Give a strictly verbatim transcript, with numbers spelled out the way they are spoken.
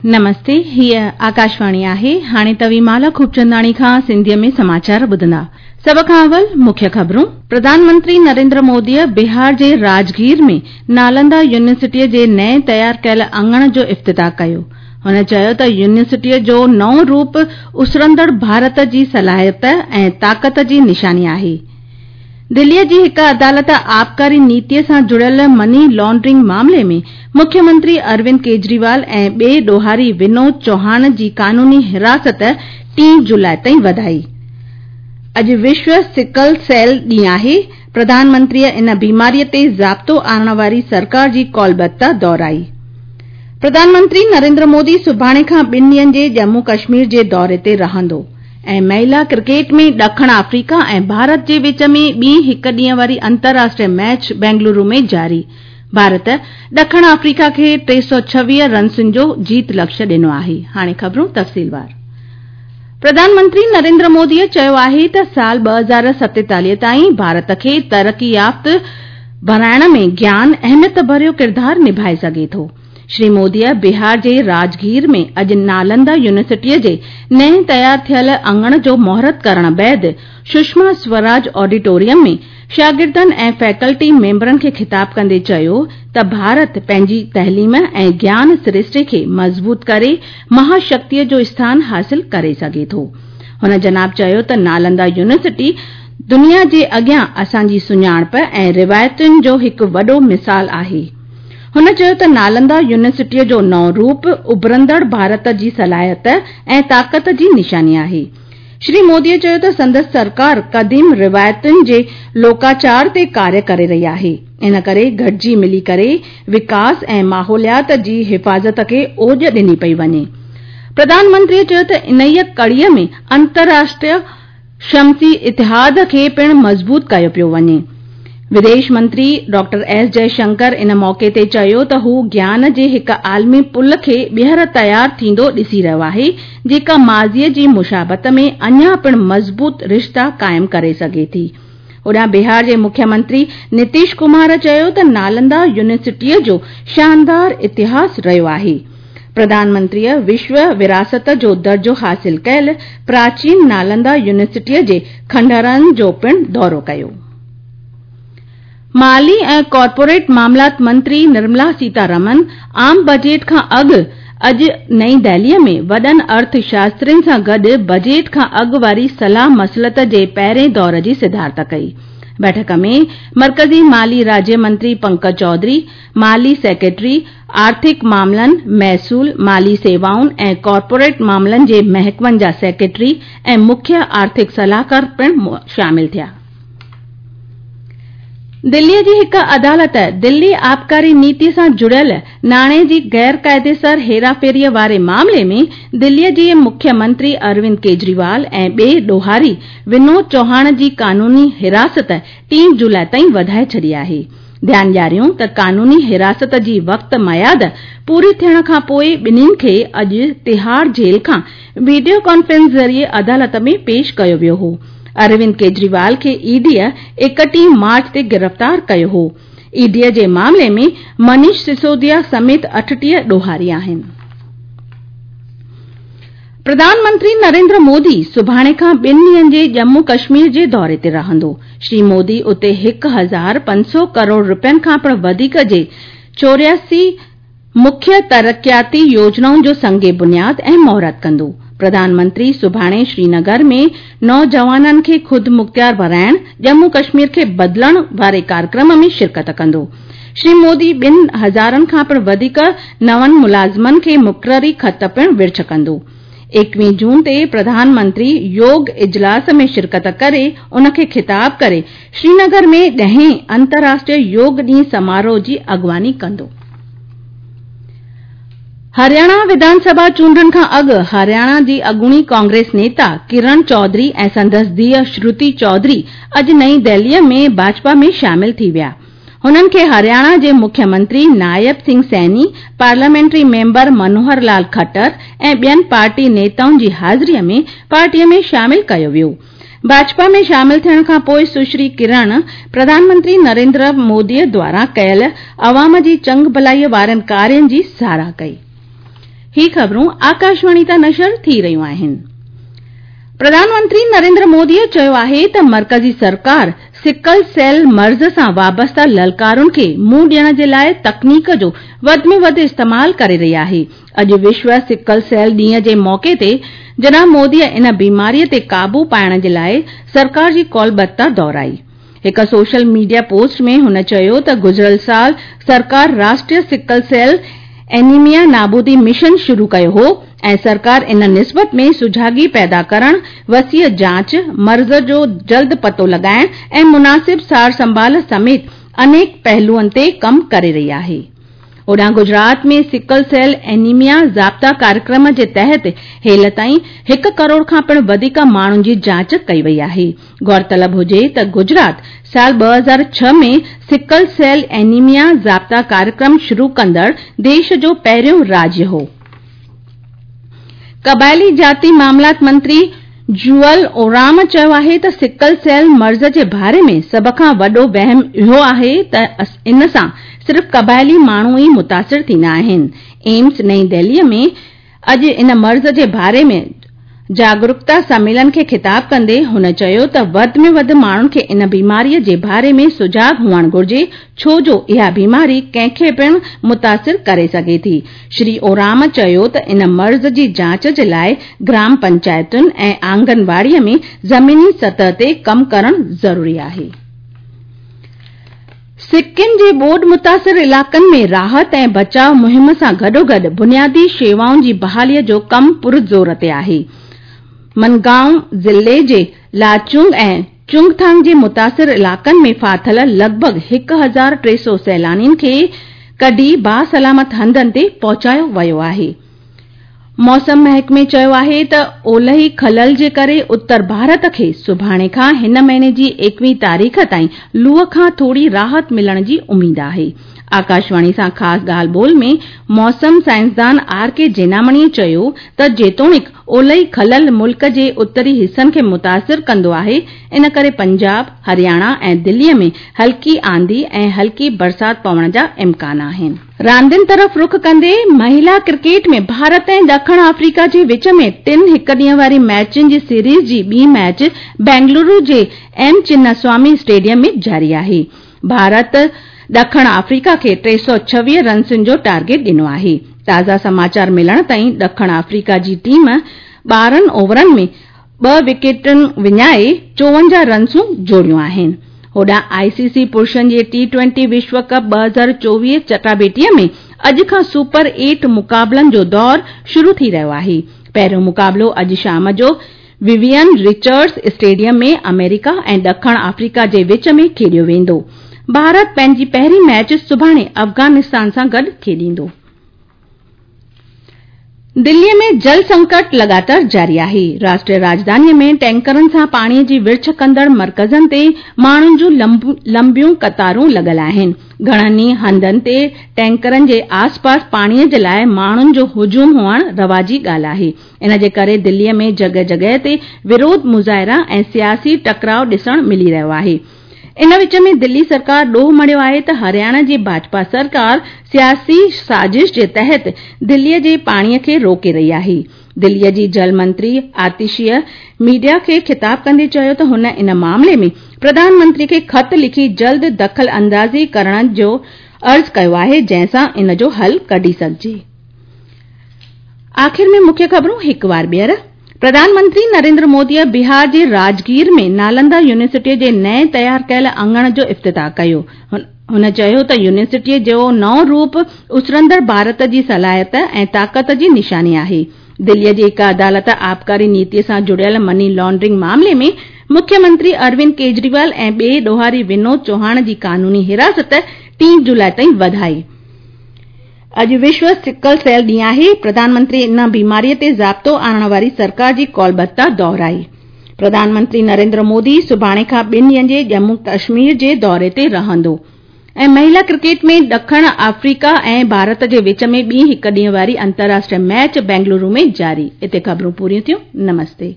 नमस्ते, हीअ आकाशवाणी आहे। हाणे तव्हीं माला खूबचंदाणी खां सिंधीअ में समाचार ॿुधंदा। सभ खां अवल मुख्य ख़बरूं। प्रधानमंत्री नरेंद्र मोदीअ बिहार जे राजगीर में नालंदा यूनिवर्सिटीअ जे नए तयार कयल अंगण जो इफ़्तिताह कयो। हुन चयो त यूनिवर्सिटीअ जो नओं रूप उसरंदड़ भारत जी सलाहियत ऐं ताक़त जी निशानी आहे। दिल्लीअ जी हिकु अदालत आबकारी नीतीअ सां जुड़ियल मनी लॉन्ड्रिंग मामले में मुख्यमंत्री अरविंद केजरीवाल ऐं ॿिए ॾोहारी विनोद चौहान जी कानूनी हिरासत टी जुलाई ताईं वधाई। अॼु विश्व सिकल सेल ॾींहुं आहे। प्रधानमंत्रीअ इन बीमारीअ ते ज़ाब्तो आणण वारी सरकार जी कौलबद्धता दोहराई। प्रधानमंत्री नरेंद्र मोदी सुभाणे खां ॿिनि ॾींहंनि जे जम्मू कश्मीर जे दौरे ते रहंदो। ऐं महिला क्रिकेट में ॾखिण अफ्रीका ऐं भारत जे विच में ॿी हिकु ॾींहं वारी अंतर्राष्ट्रीय मैच बेंगलुरु में जारी। भारत ॾखिण अफ्रीका खे टे सौ छवीह रन्सुनि जो जीत लक्ष्य ॾिनो आहे। हाणे ख़बरूं तफ़सीलवार। प्रधानमंत्री नरेंद्र मोदीअ चयो आहे त साल ॿ हज़ार सतेतालीह ताईं भारत खे तरक़ी याफ़्त बणाइण में ज्ञान अहमियत भरियो किरदारु निभाए सघे थो। श्री मोदीअ बिहार जे राजगीर में अॼु नालंदा यूनिवर्सिटीअ जे नए तयार थियल अंगण जो मुहूर्त करण बाद सुषमा स्वराज ऑडिटोरियम में शागिर्दनि ऐं फैकल्टी मेंबरनि खे ख़िताब कंदे चयो त भारत पंहिंजी तइलीम ऐं ज्ञान सरिश्ते खे मज़बूत करे महाशक्तीअ जो स्थान हासिल करे सघे थो। हुन जनाब चयो त नालंदा यूनिवर्सिटी दुनिया जे अॻियां असांजी सुञाणप ऐं रिवायतुनि जो हिकु वॾो मिसाल आहे। हुन चयो त नालंदा यूनिवर्सिटीअ जो नओं रूप उभरंदड़ भारत जी सलाहियत ऐं ताक़त जी निशानी आहे। श्री मोदीअ चयो त संदसि सरकार क़दीम रिवायतुनि जे लोकाचार ते कार्य करे रही आहे। इन करे गॾिजी मिली करे विकास ऐं माहौलियात जी हिफ़ाज़त खे ओॼ ॾिनी पई वञे। प्रधानमंत्रीअ चयो त इन्हीअ कड़ीअ में अंतर्राष्ट्रीय शमसी इतिहाद खे पिणु मज़बूत कयो पियो वञे। विदेश मंत्री डॉक्टर एस जयशंकर इन मौक़े ते चयो त हू ज्ञान जे हिकु आलमी पुल खे ॿीहर तयार थींदो ॾिसी रहियो आहे, जेका माज़ीअ जी मुशाबत में अञा पिणु मज़बूत रिश्ता क़ाइम करे सघे थी। होॾां बिहार जे मुख्यमंत्री नीतीश कुमार चयो त नालंदा यूनिवर्सिटीअ जो शानदार इतिहास रहियो आहे। प्रधानमंत्रीअ विश्व विरासत जो दर्जो हासिल कयल प्राचीन नालंदा यूनिवर्सिटीअ जे खंडहरनि जो पिणु दौरो कयो। माली ऐं कॉरपोरेट मामलात मंत्री निर्मला सीतारमण आम बजट खां अॻु अॼु नई दिल्लीअ में वॾनि अर्थशास्त्रियुनि सां गॾु बजट खां अॻु वारी सलाह मसलत जे पहिरें दौर जी सिदारत कई। बैठक में मर्कज़ी माली राज्य मंत्री पंकज चौधरी, माली सेक्रेटरी, आर्थिक मामलनि, महसूल, माली सेवाउनि ऐं कॉरपोरेट मामलनि जे महकमनि जा सेक्रेटरी ऐं मुख्य आर्थिक सलाहकार पिणु शामिल थिया। दिल्लीअ जी हिकु अदालत दिल्ली आबकारी नीति सां जुड़ियल नाणे जी गैर काइदेसर हेराफेरीअ वारे मामले में दिल्लीअ जे मुख्यमंत्री अरविंद केजरीवाल ऐं ॿिए ॾोहारी विनोद चौहान जी कानूनी हिरासत टी जुलाई ताईं वधाए छॾी आहे। ध्यानु ॾियारियूं त कानूनी हिरासत जी वक़्त मयाद पूरी थियण खां पोइ ॿिन्हिनि खे अॼु तिहाड़ जेल खां वीडियो कॉन्फ्रेंस ज़रिए अदालत में पेश कयो वियो हो। अरविंद केजरीवाल खे ईडीअ एकटीह मार्च ते गिरफ़्तार कयो हो। ईडीअ जे मामले में मनीष सिसोदिया समेत अठटीह ॾोहारी आहिनि। प्रधानमंत्री नरेंद्र मोदी सुभाणे खां ॿिनि ॾींहंनि जे जम्मू कश्मीर जे दौरे ते रहंदो। श्री मोदी उते हिकु हज़ार पंज सौ करोड़ रुपयनि खां पिणु वधीक जे चोरियासी मुख्य तरक़ियाती योजनाउनि जो संग बुनियाद ऐं मुहूर्त कंदो। प्रधानमंत्री सुभाणे श्रीनगर में नौजवाननि खे ख़ुदि मुख़्तियार बणाइण, जम्मू कश्मीर खे बदिलण वारे कार्यक्रम में शिरकत कंदो। श्री मोदी ॿिनि हज़ारनि खां पिणु वधीक नवनि मुलाज़िमनि खे मुक़ररी ख़त पिणु विर्छ कंदो। एकवीह जून ते प्रधानमंत्री योग इजलास में शिरकत करे उनखे ख़िताब करे श्रीनगर में ॾहें अंतर्राष्ट्रीय योग ॾींहुं समारोह जी अॻुवानी कंदो। हरियाणा विधानसभा चूंडुनि खां अॻु हरियाणा जी अॻूणी कांग्रेस नेता किरण चौधरी ऐं संदसि धीउ श्रुति चौधरी अॼु नई दिल्लीअ में भाजपा में शामिल थी विया। हुननि खे हरियाणा जे मुख्यमंत्री नायब सिंह सैनी, पार्लियामेंट्री मेंबर मनोहर लाल खट्टर ऐं ॿियनि पार्टी नेताउनि जी हाज़िरीअ में पार्टीअ में शामिल कयो वियो। भाजपा में शामिल थियण खां पोइ सुश्री किरण प्रधानमंत्री नरेंद्र मोदीअ द्वारा कयल अवाम जी चंग भलाईअ वारनि कार्यनि जी सराह कई। ही ख़बरूं आकाशवाणी तां नशर थी रहियूं आहिनि। प्रधानमंत्री नरेंद्र मोदीअ चयो आहे त मर्कज़ी सरकार सिकल सेल मर्ज़ सां वाबस्ता ललकारुनि खे मुंहुं ॾियण जे लाइ तकनीक जो वधि में वधि इस्तेमाल करे रही आहे। अॼु विश्व सिकल सेल ॾींहं जे मौक़े ते जनाब मोदीअ इन बीमारीअ ते क़ाबू पाइण जे लाइ सरकार जी कौलबद्धता दोहराई। हिकु सोशल मीडिया पोस्ट में हुन चयो त गुज़िरियल साल सरकार राष्ट्रीय सिकल सेल एनीमिया नाबूदी मिशन शुरू कयो हो ऐं सरकार इन निस्बत में सुझागी पैदा करण, वसीअ जांच, मर्ज़ जो जल्द पतो लॻाइण ऐं मुनासिब सार संभाल समेत अनेक पहलुअनि ते कमु करे रही आहे। होॾां गुजरात में सिकल सेल एनीमिया ज़ाब्ता कार्यक्रम जे तहत हेल ताईं हिकु करोड़ खां पिणु वधीक माण्हुनि जी जांच कई वई आहे। गौरतलब हुजे त गुजरात साल ॿ हज़ार छह में सिकल सेल एनीमिया ज़ाब्ता कार्यक्रम शुरू कंदड़ देश जो पहिरियों राज्य हो। क़बाइली जाति मामलात मंत्री जुअल ओराम चयो आहे त सिकल सेल मर्ज़ जे बारे में सभ खां वॾो वहम इहो आहे त इन सां सिर्फ़ क़बाइली माण्हू ई मुतासिर थींदा आहिनि। एम्स नई दिल्लीअ में अॼु इन मर्ज़ जे बारे में जागरूकता सम्मेलन खे ख़िताब कंदे हुन चयो त वधि में वधि माण्हुनि खे इन बीमारीअ जे बारे में सुजाग हुअणु घुर्जे, छो जो इहा बीमारी कंहिंखे पिणु मुतासिर करे सघे थी। श्री ओराम चयो त इन मर्ज़ जी जांच जे लाइ ग्राम पंचायतुनि ऐं आंगनवाड़ीअ में ज़मीनी सतह ते कमु करणु ज़रूरी आहे। सिक्किम जे ॿोॾ मुतासिर इलाइक़नि में राहत ऐं बचाव मुहिम सां गॾोगॾु बुनियादी शेवाउनि जी बहालीअ जो कमु पुरज़ोर ते आहे। मनगांव ज़िले जे लाचुंग ऐं चुंगथांग जे मुतासिर इलाइक़नि में फाथल लॻभॻि हिकु हज़ार टे सौ सैलानियुनि खे कढी बासलामत हंधनि ते पहुचायो वियो आहे। मौसम महकमे चयो आहे त ओलही खलल जे करे उत्तर भारत खे सुभाणे खां हिन महीने जी एकवीह तारीख़ ताईं लूअ खां थोरी राहत मिलण जी उमेद आहे। आकाशवाणी सां ख़ासि ॻाल्हि ॿोल में मौसम साइंसदान are के जेनामणीअ चयो त जेतोणीक ओलही खलल मुल्क जे उत्तरी हिसनि खे मुतासिर कंदो आहे, इन करे पंजाब, हरियाणा ऐं दिल्लीअ में हल्की आंधी ऐं हल्की बरसात पवण जा इम्कान आहिनि। रांदियुनि तरफ़ रुख कंदे महिला क्रिकेट में भारत ऐं ॾखिण आफ्रीका जे विच में टिनि हिकु ॾींहं वारी मैचुनि जी सीरीज़ जी ॿी मैच बेंगलुरु जे एम चिन्नास्वामी स्टेडियम में जारी आहे। भारत ॾखिण आफ्रीका खे टे सौ छवीह रन्सुनि जो टारगेट ॾिनो आहे। ताज़ा समाचार मिलण ताईं ॾखिण आफ्रीका जी टीम ॿारहं ओवरनि में ॿ विकेटुनि विञाए चोवंजाह रन्सूं जोड़ियूं आहिनि। होॾां आईसीसी पुरुषनि जे टी ट्वेंटी विश्व कप ॿ हज़ार चोवीह चटाबेटीअ में अॼु खां सुपर एट मुक़ाबलनि जो दौर शुरू थी रहियो आहे। पहिरियों मुक़ाबलो अॼु शाम जो विवियन रिचर्ड्स स्टेडियम में अमेरिका ऐं ॾखिण आफ्रीका जे विच में खेॾियो वेंदो। भारत पंहिंजी पहिरीं मैच सुभाणे अफ़गानिस्तान सां गॾु खेॾींदो। दिल्लीअ में जल संकट लगातार जारी आहे। राष्ट्रीय राजधानीअ में टैंकरनि सां पाणीअ जी विर्छ कंदड़ मर्कज़नि ते माण्हुनि जूं लंबियूं कतारूं लॻल आहिनि। घणनि ई हंधनि ते टैंकरनि जे आसपास पाणीअ जे लाइ माण्हुनि जो हुजूम हुअणु रवाजी ॻाल्हि आहे। इन जे करे दिल्लीअ में जॻह जॻह ते विरोध मुज़ाहिरा ऐं सियासी टकराव ॾिसण मिली रहियो आहे। इन विच में दिल्ली सरकार ॾोह मढ़ियो आहे त हरियाणा जी भाजपा सरकार सियासी साज़िश जे तहत दिल्लीअ जे पाणीअ खे रोके रही आहे। दिल्लीअ जी जल मंत्री आतिशीअ मीडिया खे ख़िताब कंदे चयो त हुन इन मामले में प्रधानमंत्री खे ख़त लिखी जल्द दख़ल अंदाज़ी करण जो अर्ज़ कयो आहे, जंहिंसां इन जो हल कढी सघिजे। आख़िर में मुख्य ख़बरूं हिकु बार ॿीहर। प्रधानमंत्री नरेंद्र मोदीअ बिहार जे राजगीर में नालंदा यूनिवर्सिटीअ जे नए तयार कयल अंगण जो इफ़्तिताह कयो। हुन चयो त यूनिवर्सिटीअ जो नओं रूप उसरंदड़ भारत जी सलाहियत ऐं ताक़त जी निशानी आहे। दिल्लीअ जी हिकु अदालत आबकारी नीतीअ सां जुड़ियल मनी लॉन्ड्रिंग मामले में मुख्यमंत्री अरविंद केजरीवाल ऐं ॿिए ॾोहारी विनोद चौहान जी कानूनी हिरासत टी जुलाई ताईं वधाई। अॼु विश्व सिकल सेल ॾींहुं आहे। प्रधानमंत्री इन बीमारीअ ते ज़ाब्तो आणण वारी सरकार जी कौलबद्धता दोहराई। प्रधानमंत्री नरेंद्र मोदी सुभाणे खां ॿिनि ॾींहनि जे जम्मू कश्मीर जे दौरे ते रहंदो। ऐं महिला क्रिकेट में ॾखिण आफ्रीका ऐं भारत जे विच में ॿी हिकु ॾींहं वारी अंतर्राष्ट्रीय मैच बेंगलुरु में जारी। हिते ख़बरूं पूरियूं थियूं। नमस्ते।